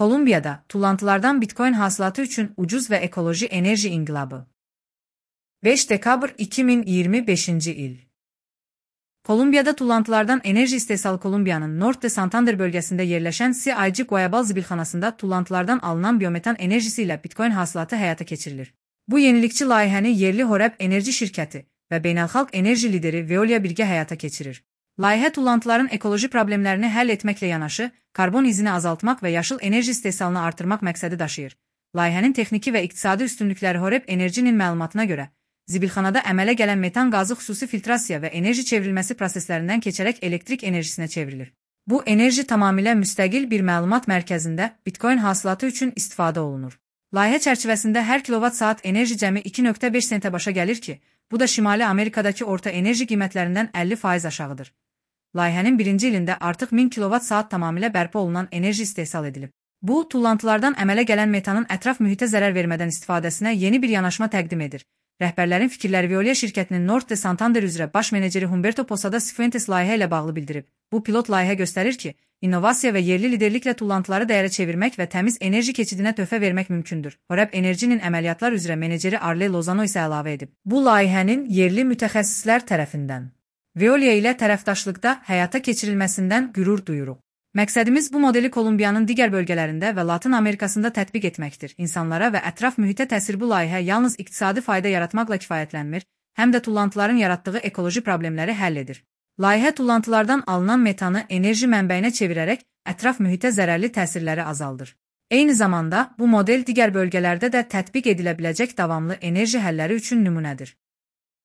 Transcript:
Kolumbiyada tullantılardan Bitcoin hasılatı üçün ucuz ve ekoloji enerji inqilabı. 5 dekabr 2025 il. Kolumbiyada tullantılardan enerji istehsalı. Kolumbiyanın Norte Santander bölgesinde yerleşen CIG Guayabal zibilxanasında tullantılardan alınan biyometan enerjisiyle Bitcoin hasılatı həyata keçirilir. Bu yenilikçi layihəni yerli Horeb Enerji şirkəti və beynəlxalq enerji lideri Veolia birgə həyata keçirir. Layihə tullantıların ekoloji problemlərini həll etməklə yanaşı, karbon izini azaltmaq və yaşıl enerji istehsalını artırmaq məqsədi daşıyır. Layihənin texniki və iqtisadi üstünlükləri Horeb Enerjinin məlumatına görə, zibilxanada əmələ gələn metan qazı xüsusi filtrasiya və enerji çevrilməsi proseslərindən keçərək elektrik enerjisinə çevrilir. Bu enerji tamamilə müstəqil bir məlumat mərkəzində Bitcoin hasılatı üçün istifadə olunur. Layihə çərçivəsində hər kilovat-saat enerji cəmi 2,5 sentə başa gəlir ki, bu da Şimali Amerikadakı orta enerji qiymətlərindən 50% aşağıdır. Layihənin birinci ilində artıq 1000 kilovat-saat tamamilə bərpa olunan enerji istehsal edilib. Bu, tullantılardan əmələ gələn metanın ətraf mühitə zərər vermədən istifadəsinə yeni bir yanaşma təqdim edir. Rəhbərlərin fikirləri Veolia şirkətinin Norte Santander üzrə baş meneceri Humberto Posada Cifuentes layihə ilə bağlı bildirib. Bu pilot layihə göstərir ki, innovasiya və yerli liderliklə tullantıları dəyərə çevirmək və təmiz enerji keçidinə töhfə vermək mümkündür. Horeb Enerjinin əməliyyatlar üzrə meneceri Arle Lozano isə əlavə edib. Bu layihənin yerli mütəxəssislər tərəfindən Veolia ilə tərəfdaşlıqda həyata keçirilməsindən qürur duyuruq. Məqsədimiz bu modeli Kolumbiyanın digər bölgələrində və Latin Amerikasında tətbiq etməkdir. İnsanlara və ətraf mühitə təsir. Bu layihə yalnız iqtisadi fayda yaratmaqla kifayətlənmir, həm də tullantıların yaratdığı ekoloji problemləri həll edir. Layihə tullantılardan alınan metanı enerji mənbəyinə çevirərək ətraf mühitə zərərli təsirləri azaldır. Eyni zamanda bu model digər bölgələrdə də tətbiq edilə biləcək davamlı enerji həlləri üçün nümunədir.